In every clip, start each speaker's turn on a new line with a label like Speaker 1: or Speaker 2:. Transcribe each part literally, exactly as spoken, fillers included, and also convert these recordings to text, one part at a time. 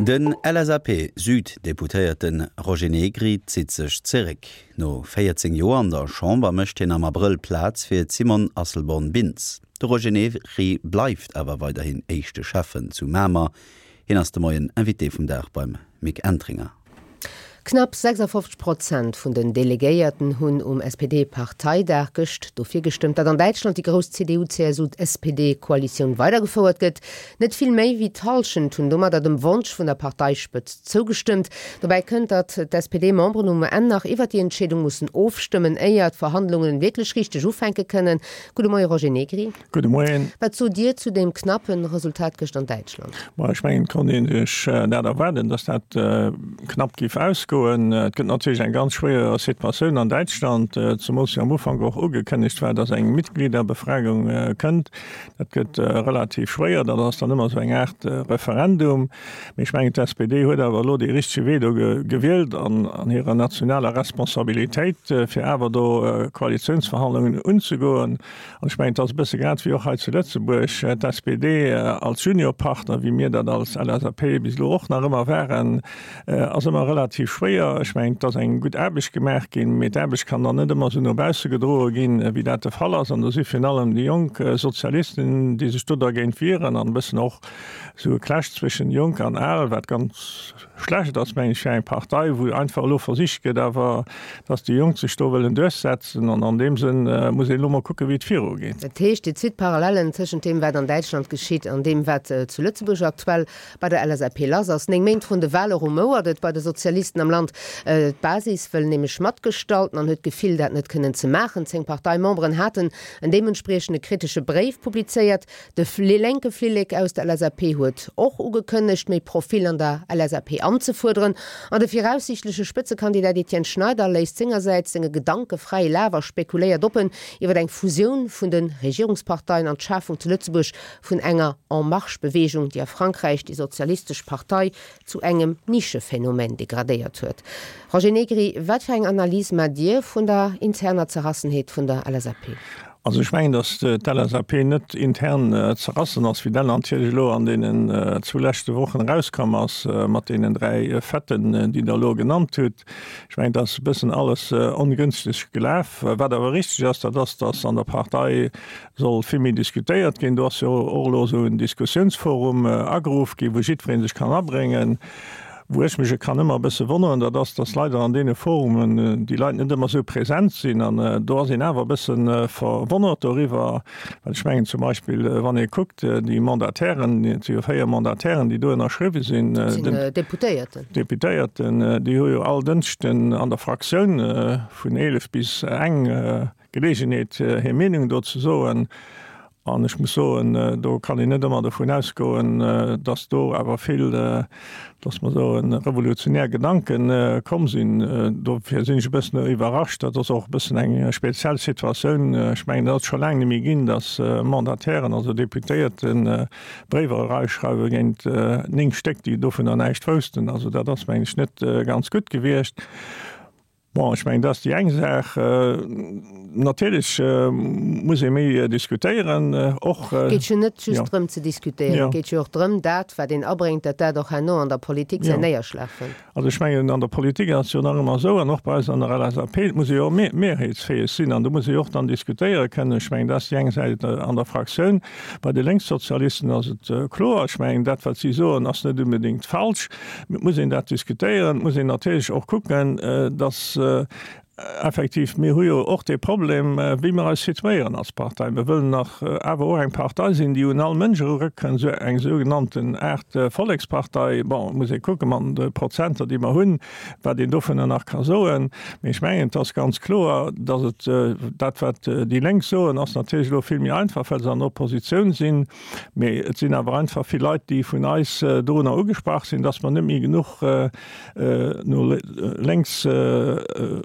Speaker 1: Den L S A P-Süd-Deputéierte Roger Negri zitt sech zeréck. No véierzéng Joer an der Chamber mécht hien am Abrëll Plaz fir d'Simone Asselborn-Bintz. De Roger Negri bleift awer weiderhin éischte Schäffen zu Mamer. Hien ass de Moien Invité vum Dag beim Mick Entringer.
Speaker 2: Knapp sechsafofzeg Prozent vun den Delegéierten hunn um S P D-Parteidag gëscht dofir gestëmmt, datt an Däitschland déi grouss C D U-C S U-S P D-Koalitioun weidergefouert gëtt. Net vill méi wéi d'Hallschent hunn domadder dem Wonsch vun der Parteispëtzt zougestëmmt. Dobäi kënnt, datt d'S P D-Memberen um Enn nach iwwer déi Entscheedung mussen ofstëmmen, éier d'Verhandlungen wierklech richteg ufänke kënnen. Gudde Moie Roger Negri.
Speaker 3: Gudde Moien.
Speaker 2: Wat sot Dir zu deem knappe Resultat gëscht an Däitschland?
Speaker 3: Ma ech mengen, et konnt ee sech dat erwaarden, datt dat knapp géif ausgoen. Et gëtt natierlech eng ganz schwéier Situatioun an Däitschland, zemools jo am Ufank och ugekënnegt war, datt eng Mitgliederbefragung kënnt. Dat gëtt relativ schwéier, dat ass dann ëmmer esou eng Aart Referendum. Mee ech mengen, d'S P D huet awer elo dee richtege Wee do gewielt an an hirer nationaler Responsabilitéit, fir awer do Koalitiounsverhandlungen unzegoen. An ech mengen, et ass e bësse grad wéi och hei zu Lëtzebuerg, d'S P D als Juniorpartner, wéi mir dat als L S A P bis elo och nach ëmmer waren, ass ëmmer relativ schwéier. Ech mengen, et ass eng gutt Aarbecht gemaach ginn, mee d'Aarbecht kann dann net ëmmer esou no bausse gedroe ginn, wéi dat de Fall ass. An do si virun allem déi jonk Sozialisten, déi sech do dergéint wieren an e bëssen och esou e Clash zwëschen Jonk an Al, wat ganz schlecht ass, mengen ech, fir eng Partei, wou einfach elo versicht gëtt awer, dass déi Jonk sech do wëllen duerchsetzen. An an deem Sënn muss een elo mol kucken, wéi et virugeet.
Speaker 2: Dat heescht, Dir zitt Parallellen tëschent deem, wat an Däitschland geschitt, an deem, wat zu Lëtzebuerg aktuell bei der L S A P lass ass. Néng Méint vrun de Wale rumouert et bei de Sozialisten am Land. D'Basis wëll nämlech matgestalten an huet d'Gefill, dat net kënnen ze maachen. Zéng Parteimemberen haten en deementspriechende kritesche Bréif publizéiert. De lénke Flillek aus der L S A P huet och ugekënnegt, méi Profil an der L S A P anzefuerderen. An de viraussiichtleche Spëtzekandidat Etienne Schneider léisst sengersäits senge Gedanke fräie Laf a spekuléiert oppen iwwer eng Fusioun vun de Regierungsparteien an d'Schafung zu Lëtzebuerg vun enger En Marche-Beweegung, déi a Frankräich déi sozialistesch Partei zu engem Nischephenomän degradéiert huet. Roger Negri, wat fir eng Analys maacht Dir vun der interner Zerrassenheet vun der L S A P?
Speaker 3: Also ech mengen, datt d'L S A P net intern zerrassen ass, wéi dat natierlech elo an deenen zwou leschte Wochen erauskomm ass mat deenen dräi Faiten, déi Der elo genannt hutt. Ech mengen, et ass e bëssen alles ongënschteg gelaf. Wat awer richteg ass, dat ass, datt an der Partei soll vill méi diskutéiert ginn. Do ass jo och elo esou en Diskussiounsforum ageruff ginn, wou jiddweree sech kann abréngen. Wou ech mech kann ëmmer e bësse wonneren, dat ass, datt leider an deene Forumen déi Leit net ëmmer esou present sinn an do ass een awer e bësse verwonnert doriwwer, well ech mengen zum Beispill, wann ee kuckt, déi Mandatairen, et si jo véier Mandatairen, déi do ënnerschriwwe sinn,
Speaker 2: Dat sinn Deputéierten.
Speaker 3: Deputéierten, déi hu jo all Dënschden an der Fraktioun vun eelef bis eng Geleegenheet, hir Meenung do ze soen. An ech muss soen, do kann een net ëmmer dovun ausgoen, datt do awer vill, datt mer soen, revolutionär Gedanke komm sinn. Dofir sinn ech e bëssen iwwerrascht. Dat ass och e bëssen eng speziell Situatioun. Ech mengen, dat ass scho laang net méi ginn, datt Mandatairen, also Deputéierten, Bréiwer erausschreiwe géint néng Stéck, déi dovunner näischt woussten. Also dat ass, mengen ech, net ganz gutt gewiescht. Bon, ech mengen, dat ass déi eng Saach. Natierlech muss ee méi diskutéieren och.
Speaker 2: Geet jo net just drëm ze diskutéieren, et geet jo och drëm, dat, wat een abréngt, datt dat och herno an der Politik säin Néierschlag fënnt.
Speaker 3: Also ech mengen, an der Politik ass et jo nach ëmmer esou, an och bei eis an der L S A P, et muss ee jo mehrheetsfäeg sinn an do muss ee jo och dann diskutéiere kënnen. Ech mengen, dat ass déi eng Säit an der Fraktioun. Bei de Lénkssozialisten ass et kloer, ech mengen, dat, wat si soen, ass net unbedéngt falsch. Mee et muss een dat diskutéieren. Et muss een natierlech och kucken, datt effektiv, mir hu jo och dee Problem, wéi mir eis situéieren als Partei. Mir wëllen nach awer och eng Partei sinn, déi un all Mënsch erurëckent, esou eng sougenannten Aart Vollekspartei. Bon, et muss ee kucke mat de Prozenter, déi mer hunn, wat een dovunner nach ka soen. Mee ech mengen, et ass ganz kloer, datt et dat, wat déi Lénk soen, ass natierlech elo vill méi einfach, well se an der Oppositioun sinn. Mee et sinn awer einfach vill Leit, déi vun eis dorunner ugesprach sinn, datt mer net méi genuch no lénks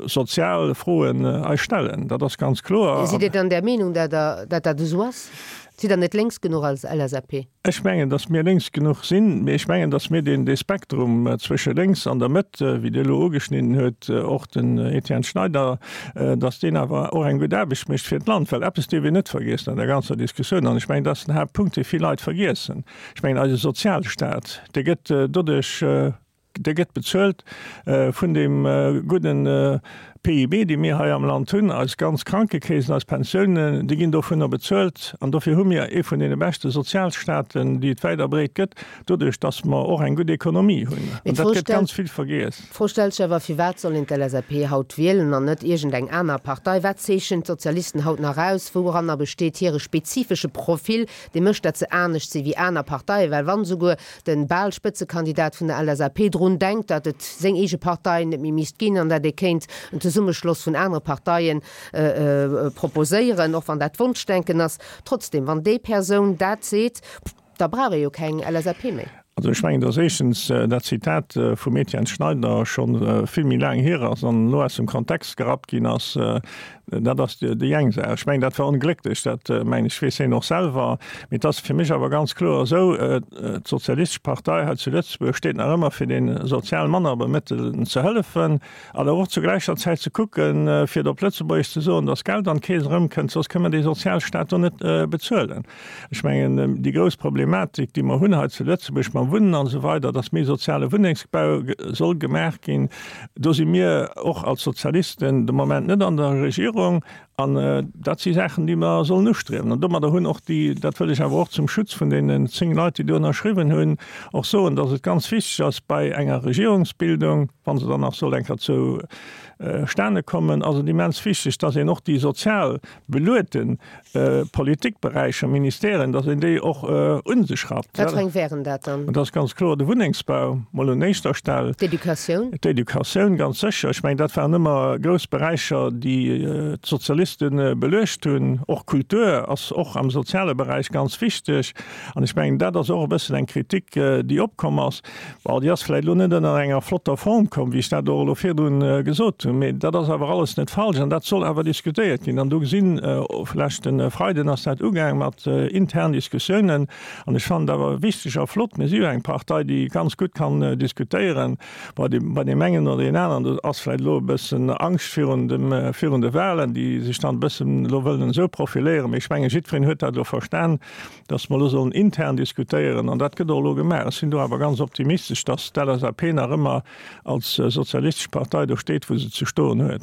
Speaker 3: sozial sozial Froen eis stellen. Dat ass ganz kloer.
Speaker 2: Sidd Dir dann der Meenung, datt dat esou ass? Sidd Der net lénks genuch als L S A P?
Speaker 3: Ech mengen, datt mir lénks genuch sinn, mee ech mengen, datt mir deen, dee Spektrum zwësche lénks an der Mëtt, wéi Dir elo ugeschnidden huet, och den Etienne Schneider, datt deen awer och eng gutt Aarbecht mécht fir d'Land. Well eppes dierf een net vergiessen an der ganzer Diskussioun, an ech mengen, dat ass den Haaptpunkt, dee vill Leit vergiessen, ech mengen, eise Sozialstaat, dee gëtt doduerch, dee gëtt bezuelt vun deem gudden P I B, dee mir hei am Land hunn, eis ganz Krankekeesen, eis Pensiounen, déi ginn dovunner bezuelt. An dofir hu mir ee vun deene beschte Sozialstaaten, déi et wäit a breet gëtt, doduerch datt mer och eng gutt Ekonomie hunn. An dat gëtt ganz vill vergiess.
Speaker 2: D'Fro stellt sech awer, Firwat soll een d'L S A P haut wielen an net iergendeng aner Partei? Wat zeechent d'Sozialisten haut nach aus? Wouranner besteet hire spezifesche Profil, dee mécht, datt se anescht si wéi aner Parteien? Well wann esouguer de bal Spëtzekandidat vun der L S A P drun denkt, datt et seng eege Partei net méi misst ginn an datt ee kéint en Zesummeschloss vun anere Parteien proposéieren, och wann dat Wonschdenken ass. Trotzdem, wann déi Persoun dat seet, da brauch ee jo keng L S A P méi.
Speaker 3: Also ech mengen, datt éischtens dat Zitat vum Etienne Schneider scho vill méi laang hier ass an elo aus dem Kontext gerappt ginn ass. Dat ass déi eng Saach. Ech mengen, dat war onglécklech, dat mengen ech weess hien och selwer. Mee et ass fir mech awer ganz kloer esou, d'Sozialistesch Partei hei zu Lëtzebuerg steet nach ëmmer fir de sozial manner Bemëttelten ze hëllefen, awer och zu gläicher Zäit ze kucken, fir et op Lëtzebuergesch ze soen, datt Geld an d'Keess erëmkënnt, soss kënne mer dee Sozialstaat do net bezuelen. Ech mengen, déi grouss Problematik, déi mer hunn hei zu Lëtzebuerg mam Wunnen an esou weider, datt méi soziale Wunnengsbau soll gemaach ginn, do si mir och als Sozialisten de Moment net an der Regierung. An dat si Saachen, déi mer sollen ustriewen. An domadder hunn och déi, dat wëll ech awer och zum Schutz vun deenen zéng Leit, déi do ënnerschriwwen hunn, och soen, datt et ganz wichteg ass bei enger Regierungsbildung, wa se dann nach soll eng Kéier zustane kommen, ass et immens wichteg, datt een och déi sozial beluete Politikberäicher, Ministèren, datt een déi och un sech rappt.
Speaker 2: Wat fir eng wären dat dann?
Speaker 3: Dat ass ganz kloer de Wunnengsbau, mol un éischter Stell.
Speaker 2: D'Educatioun?
Speaker 3: D'Educatioun, ganz sécher. Ech mengen, dat waren ëmmer grouss Beräicher, déi d'Sozialiste beluecht hunn. Och Kultur ass och am soziale Beräich ganz wichteg. An ech mengen, dat ass och e bëssen eng Kritik, déi opkomm ass. Bon, déi ass vläicht elo net ënner enger flotter Form komm, wéi ech dat och elo virdrun gesot hunn. Mee dat ass awer alles net falsch an dat soll awer diskutéiert ginn. An do gesinn, leschte Freiden ass dat ugaang mat internen Diskussiounen. An ech fannen et awer wichteg a flott, mir si jo eng Partei, déi ganz gutt kann diskutéieren. Bei dem, bei deem engen oder deem aneren, do ass vläicht elo e bëssen Angscht virun dem, virun de Wahlen, déi sech dann e bëssen elo wëllen esou profiléieren. Mee ech mengen, jiddwereen huet dat elo verstan, dass mer elo sollen intern diskutéieren. An dat gëtt och elo gemaach. Ech sinn do awer ganz optimistesch, dass d'L S A P nach ëmmer als sozialistesch Partei do steet, wou se ze stoen huet.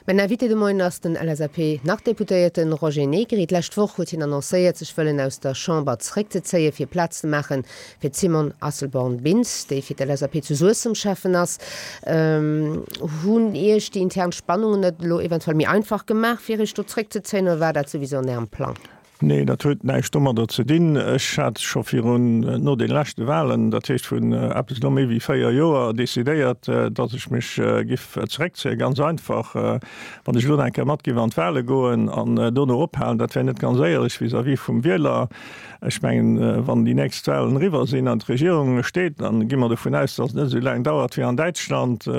Speaker 2: Mäin Invité de Moien ass den L S A P-Nach-Deputéierten Roger Negri. D'lescht Woch huet hien annoncéiert, sech wëllen aus der Chamber zeréckzezéien, fir Plaz ze maachen fir d'Simone Asselborn-Bintz, déi fir d'L S A P zu Suessem Cheffen ass. Hunn Iech déi intern Spannungen et elo eventuell méi einfach gemaach, fir Iech do zeréckzezéien, oder war dat souwisou an Ärem Plang?
Speaker 3: Nee, dat huet näischt domadder ze dinn. Ech hat scho virun, no de leschte Wahlen, dat heescht vun eppes elo méi wéi véier Joer, decidéiert, datt ech mech giff zeréckzéien. Ganz einfach, wann ech elo nach eng Kéier mat giff an d'Wahle goen an dono ophalen, dat wär net ganz éierlech vis-à-vis vum Wieler. Ech mengen, wann déi nächst Wahlen eriwwer sinn an d'Regierung steet, dann gi mer dovun aus, datt et net esou laang dauert wéi an Däitschland,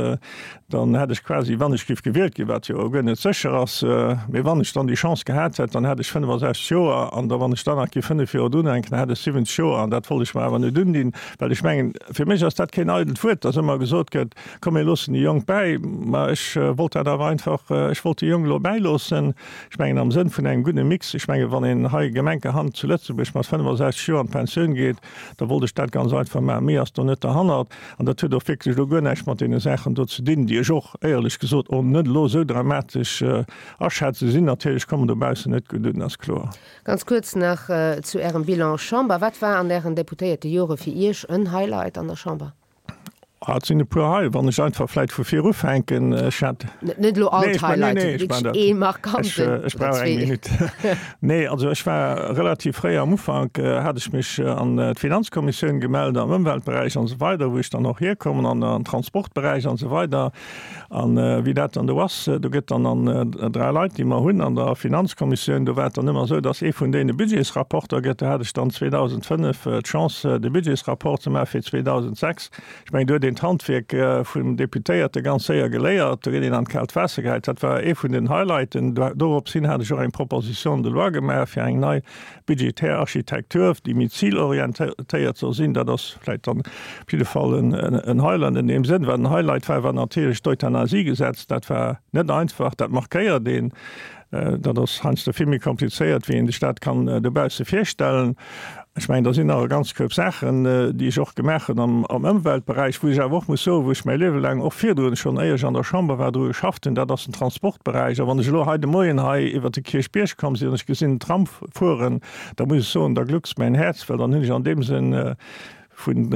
Speaker 3: dann hätt ech quasi, wann ech giff gewielt ginn, wat jo guer net sécher ass, mee wann ech dann déi Chance gehat hätt, dann hätt ech fënnefasechzeg Joer, an da wann ech dann nach giff fënnef Joer drunhänken, dann hätt ech siwwenzeg Joer, an dat wollt ech mer awer net undinn, well ech mengen, fir mech ass dat keen eidelt Wuert, dass ëmmer gesot gëtt, komm mir loossen déi Jonk bäi, ma ech wollt dat awer einfach, ech wollt déi Jonk elo bäiloossen, ech mengen am Sënn vun engem gudde Mix. Ech mengen, wann een hei gemenkerhand zu Lëtzebuerg mat fënnefasechzeg Joer an d'Pensioun geet, da wollt ech dat ganz einfach maachen. Méi ass do net derhannert, an dat huet och wierklech elo guer näischt mat deene Saachen do ze dinn, déi ech och éierlech gesot och net elo esou dramatesch aschätzen. Sinn natierlech, kommen dobaussen net gutt un, ass kloer.
Speaker 2: Ganz kuerz nach zu Ärem Bilan Chamber. Wat war an Ären deputéierte Jore fir Iech en Highlight an der Chamber?
Speaker 3: Ah, et sinn e puer hei, wann ech einfach vläit vu vir ufänken. Ech hat
Speaker 2: Net elo all
Speaker 3: Nee, ech mein, nee,
Speaker 2: d'Highlighten,
Speaker 3: nee, ech mein
Speaker 2: wierklech
Speaker 3: dat.
Speaker 2: ee
Speaker 3: Ech,
Speaker 2: markanten
Speaker 3: ech
Speaker 2: oder
Speaker 3: brauch eng
Speaker 2: zwee.
Speaker 3: Minutt. Nee, also ech war relativ fréi am Ufank, hat ech mech an d'Finanzkommissioun gemellt, am Ëmweltberäich an esou weider, wou ech dann och hierkommen, an an Transportberäich an esou weider. An wéi dat dann do ass, do gëtt dann an dräi Leit, déi mer hunn an der Finanzkommissioun, do war et dann ëmmer esou, dass ee vun deene Budgetsrapporter gëtt. Do hat ech dann zweedausendfënnef d'Chance, de Budgetsrapport ze maache fir zweedausendsechs. Ech mengen, do huet een een d'Handwierk vum Deputéierte ganz séier geléiert, do gëtt een an d'kaalt Waasser gehäit. Dat war ee vun den Highlighten. Dorops hin hat ech och eng Proposition de loi gemaach fir eng nei budgetär Architektur, déi méi zilorientéiert soll sinn. Dat ass vläicht dann op jidde Fall en Highlight an deem Sënn. Wat en Highlight war, war natierlech d'Euthanasiegesetz. Dat war net einfach, dat markéiert een. Dat ass heiansdo vill méi komplizéiert, wéi een sech dat kann dobausse virstellen. Ech mengen, do sinn nach e ganz Koup Saachen, déi ech och gemaach hunn am Ëmweltberäich, wou ech awer och muss soen, wou ech mäi Liewe laang, och virdrun schonn, éier ech an der Chamber war, dru geschafft hunn, dat ass den Transportberäich. A wann ech elo hei de Moien hei iwwert de Kierchbierg komm sinn an ech gesinn den Tram fueren, da muss ech soen, da gluckst mäin Häerz, well dann hunn ech an deem Sënn vun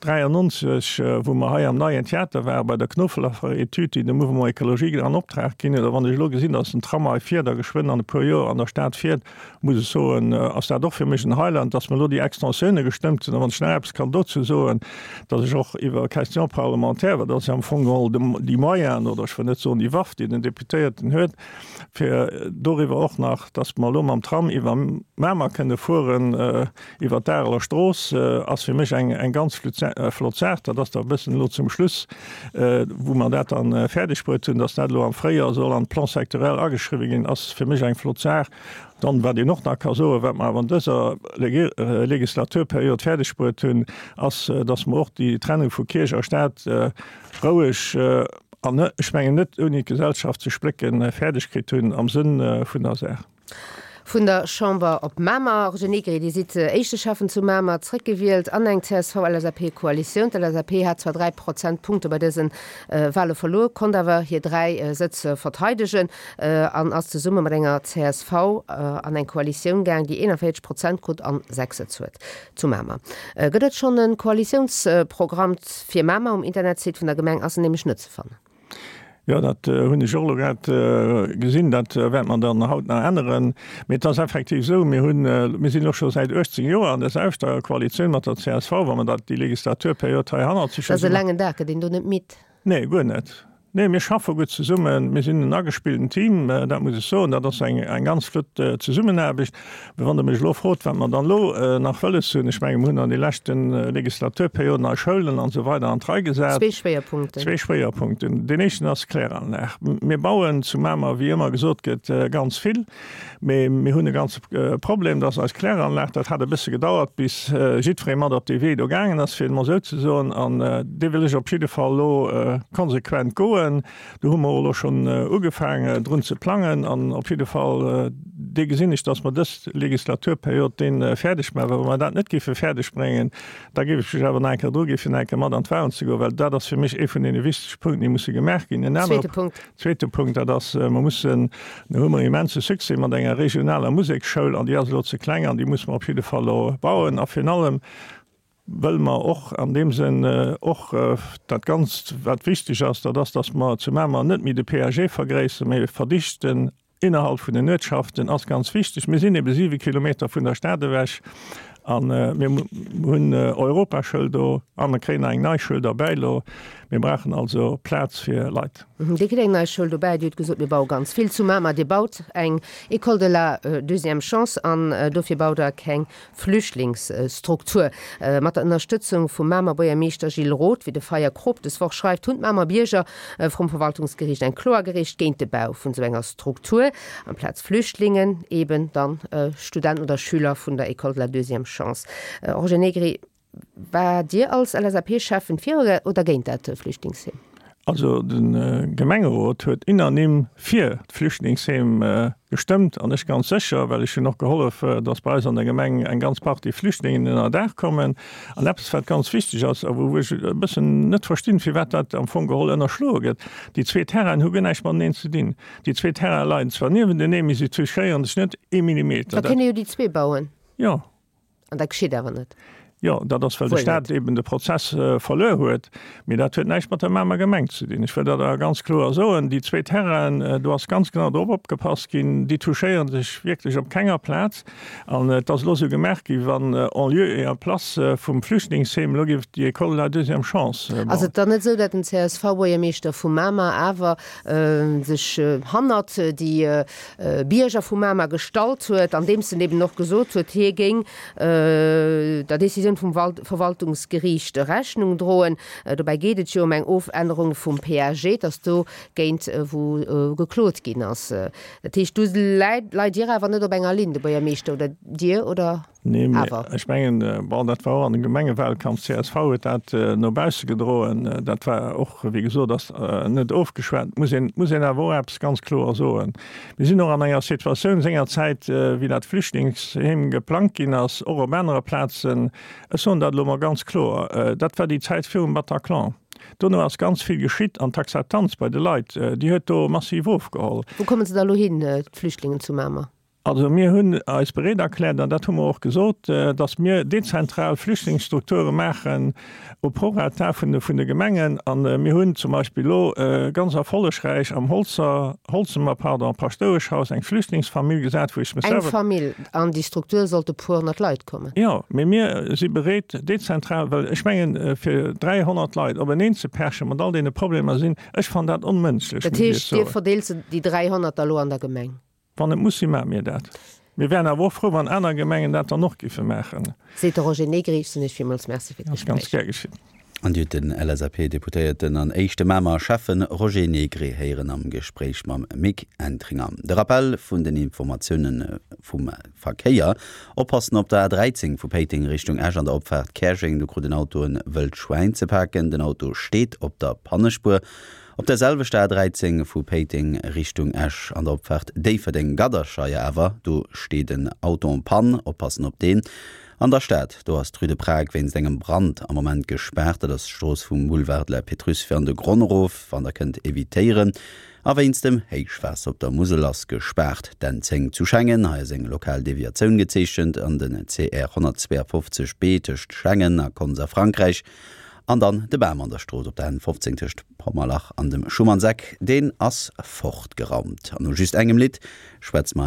Speaker 3: dräiannonzeg, wou mer hei am Neien Theater ware bei der Knoflacher-Etüd, déi de Mouvement Écologique an Optrag ginn huet, a wann ech elo gesinn, datt den Tram hei fiert a geschwënn an e puer Joer an der Stad fiert, muss ech soen, ass dat och fir mech en Highlight, datt mer elo déi Extensioune gestëmmt hunn. A wann ech nach eppes kann dozou soen, datt ech och iwwer Question parlementaire, well dat ass jo am Fong geholl déi Moyen, oder ech wëll net soen déi Waff, déi den Deputéierten huet, fir doriwwer och nach, datt mer elo mam Tram iwwer Mamer kënne fueren, iwwer d'Areler Strooss, ass fir mech eng eng ganz flott Saach. Dat ass da e bëssen elo zum Schluss, wou mer dat dann fäerdeg bruet hunn, datt dat elo am Fréijoer soll an de Plan sectoriel ageschriwwen ginn, ass fir mech eng flott Saach. Dann, wat een och nach ka soen, wat mer awer an dëser Legislaturperiod fäerdeg bruet hunn, ass, datt mer och déi Trennung vu Kierch a Staat roueg an, ech mengen, net ouni d'Gesellschaft ze splécken, fäerdeg kritt hunn am Sënn vun der Saach.
Speaker 2: Vun der Chamber op Mamer. Roger Negri, Dir sidd éischte Schäffen zu Mamer, zréckgewielt an eng C S V-L S A P-Koalitioun. D'L S A P hat zwar dräi Prozentpunkte bei dëse Wale verluer, konnt awer hir dräi Sëtz verteidegen an ass zesumme mat enger C S V an eng Koalitioun gaang, déi eenanvéierzeg Prozent krut an sechs Sëtz huet zu Mamer. Gëtt et schonn e Koalitiounsprogramm fir Mamer? Um Internetsite vun der Gemeng ass en nämlech net ze fannen.
Speaker 3: Jo, dat hunn ech och elo grad gesinn. Dat wäerte mer dann haut nach änneren. Mee et ass effektiv esou, mir hunn, mir sinn elo scho säit uechtzéng Joer an der selwechter Koalitioun mat der C S V, wa mer dat, déi Legislaturperiod hei hannert sech
Speaker 2: Dat ass e laangen Dag, gëtt een do net midd?
Speaker 3: Nee, guer net. Nee, mir schaffe gutt zesummen. Mir sinn en agespillten Team, dat muss ech soen. Dat ass eng, eng ganz flott Zesummenaarbecht. Mee wann Der mech elo frot, wat mer dann elo nach wëlles hunn, ech menge mir hunn an de leschte Legislaturperioden eis Schoulen an esou weider an d'Rei gesat.
Speaker 2: Zwee Schwéierpunkten.
Speaker 3: Zwee Schwéierpunkten. Deen éischten ass d'Kläranlag. Mir bauen zu Mamer, wéi ëmmer gesot gëtt, ganz vill. Mee mir hunn e ganze Problem, dass eis Kläranlag, dat hat e bësse gedauert, bis jiddweree mat op dee Wee do gaangen ass, fir et emol esou ze soen, an dee wëll ech op jidde Fall elo konsequent goen. Do hu mer och elo schonn ugefaangen, drun ze plangen. An op jidde Fall, dee gesinn ech, dass mer dës Legislaturperiod dee fäerdeg maachen. Well wa mer dat net géife fäerdeg bréngen, da géif ech mech awer nach eng Kéier druginn, fir nach eng Kéier mat an d'Wahlen ze goen, well dat ass fir mech ee vun deene wichtege Punkten, déi musse gemaach ginn. En anere
Speaker 2: Zweete Punkt.
Speaker 3: Zweete Punkt, dat ass, mer mussen, do hu mer immense Succès mat enger regionaler Museksschoul an déi ass elo ze kleng an déi musse mer op jidde Fall elo bauen. A virun allem wëlle mer och an deem Sënn och dat Ganzt, wat wichteg ass, dat ass, dass mer zu Mamer net méi de P A G vergréisseren, mä verdichten innerhalb vun den Uertschaften ass ganz wichteg. Mir sinn ebe siwe Kilometer vun der Stad ewech a mir hunn Europaschoul do a mir kréien nach eng nei Schoul derbäi elo. Mir brauchen also Plaz fir Leit.
Speaker 2: Dir kritt eng nei Schoul dobäi. Dir hutt gesot, mir baue ganz vill zu Mamer. Dir baut eng École de la deuxième chance an dofir baut Der keng Flüchtlingsstruktur. Mat der Ënnerstëtzung vum Mamer Buergermeeschter Gilles Roth, wéi de Feyer Krop des Woch schreift, hunn d'Mamer Bierger vrum Verwaltungsgeriicht eng Klo agereecht géint de Bau vun esou enger Struktur. Amplaz Flüchtlingen eben dann Studenten oder Schüler vun der École de la deuxième chance. Roger Negri, War Dir als L S A P-Schäffen fir oder géint dat Flüchtlingsheem?
Speaker 3: Also de Gemengerot huet unanime fir d'Flüchtlingsheem gestëmmt an ech ganz sécher, well ech hunn och gehollef, datt bei eis an der Gemeng eng ganz Partie Flüchtlingen ënnerdaach kommen. An eppes wat ganz wichteg ass a wou ech e bëssen net verstinn, firwat dat am Fong geholl ënnerschloe gëtt, Déi zwee Terrainen hu guer näischt mateneen ze dinn. Déi zwee Terraine leien zwar niewenteneen, mee si touchéieren sech net ee Millimeter.
Speaker 2: Da kënne jo déi zwee bauen.
Speaker 3: Jo.
Speaker 2: An dat geschitt awer net.
Speaker 3: Jo, dat ass, well de Staat eben de Prozess verluer huet. Mee dat huet näischt mat der Mamer Gemeng ze dinn. Ech wëll dat awer ganz kloer soen, Déi zwee Terrainen, do ass ganz genau drop opgepasst ginn, déi touchéiere sech wierklech op kenger Plaz. An et ass elo esou gemaach ginn, wann en lieu et en place vum Flüchtlingsheem elo géif déi École de la deuxième chance
Speaker 2: bauen. Ass et dann net esou, datt den C S V-Buergermeeschter vu Mamer awer sech hannert déi Bierger vu Mamer gestallt huet, andeems en eben och gesot huet, hie géing der Decisioun Decisioun vum Verwaltungsgeriicht Rechnung droen. Dobäi geet et jo ëm eng Ofännerung vum PAG, et ass do géint wou geklot ginn ass. Dat heescht, do leit Dir awer net op enger Linn, de Buergermeeschter oder Dir, oder?
Speaker 3: Nee, mee ech mengen, bon, dat war och an dem Gemengewahlkampf, csv huet dat no bausse gedroen, dat war och, wéi gesot, ass net ofgeschwat. Et muss een, muss een awer och eppes ganz kloer soen, Mir sinn och an enger Situatioun sengerzäit, wéi dat Flüchtlingsheem geplangt ginn ass, och op anere Plazen, ech soen dat elo mol ganz kloer, dat war déi Zäit virum Bataclan. Dono ass ganz vill geschitt an d'Akzeptanz bei de Leit, déi huet do massiv ofgeholl.
Speaker 2: Wou komme se da elo hin, d'Flüchtlingen zu Mamer?
Speaker 3: Also mir hunn eis bereet erkläert, an dat hu mer och gesot, datt mir dezentral Flüchtlingsstrukture maachen au prorata vun de vun de Gemengen. A mir hunn zum Beispill elo ganz erfollegräich am Holzer, Holzemer, pardon, Paschtoueschhaus eng Flüchtlingsfamill gesat, wou ech mech
Speaker 2: Eng selwer. Famill, an déi Struktur sollte puer honnert Leit kommen.
Speaker 3: Jo, mee mir si bereet dezentral, well ech mengen, fir dräihonnert Leit openeen ze perchen, mat all deene Problemer sinn, ech fannen dat onmënschlech,
Speaker 2: Dat
Speaker 3: muss ech Iech
Speaker 2: heescht, Dir
Speaker 3: soen.
Speaker 2: verdeelt se, déi dräihonnert da elo an der Gemeng?
Speaker 3: Wann et muss sinn, maache mir dat. Mir wären awer och frou, wann aner Gemengen dat dann och géife maachen.
Speaker 2: Seet de Roger Negri. Ech soen Iech villmools Merci fir
Speaker 3: Ass ganz
Speaker 2: d'Gespréich.
Speaker 3: gär geschitt.
Speaker 1: An Dir hutt den LSAP-Deputéierten an éischte Mamer Schäffen Roger Negri héieren am Gespréich mam Mick Entringer. De Rappell vun den Informatioune vum Verkéier, Oppassen op der A dräizéng vu Péiteng Richtung Esch an der Opfaart Käerjeng, do krut en Auto en wëllt Schwäin ze paken. Den Auto steet op der Pannespuer. Op der selwechter A dräizéng vu Péiteng Richtung Esch an der Opfaart Déifferdeng-Gadderscheier awer, do steet en Auto en panne, oppassen op deen. An der Stad, do ass d'Rue de Prague wéinst engem Brand am Moment gespaart, dat ass d'Strooss vum Boulevard de la Pétrusse fir an de Gronn erof, wann der kënnt evitéieren. A wéinst dem Héichwaasser op der Musel ass gespaart d'N zéng zu Schengen, hei ass eng lokal Deviatioun gezeechent, an den C R honnertzweeafofzeg B tëscht Schengen a Konz a Frankräich. An dann de Bam an der Strooss op der N fofzéng tëscht Pommerlach an dem Schumannseck, deen ass fortgeraumt. An no just engem Lidd schwätze mer.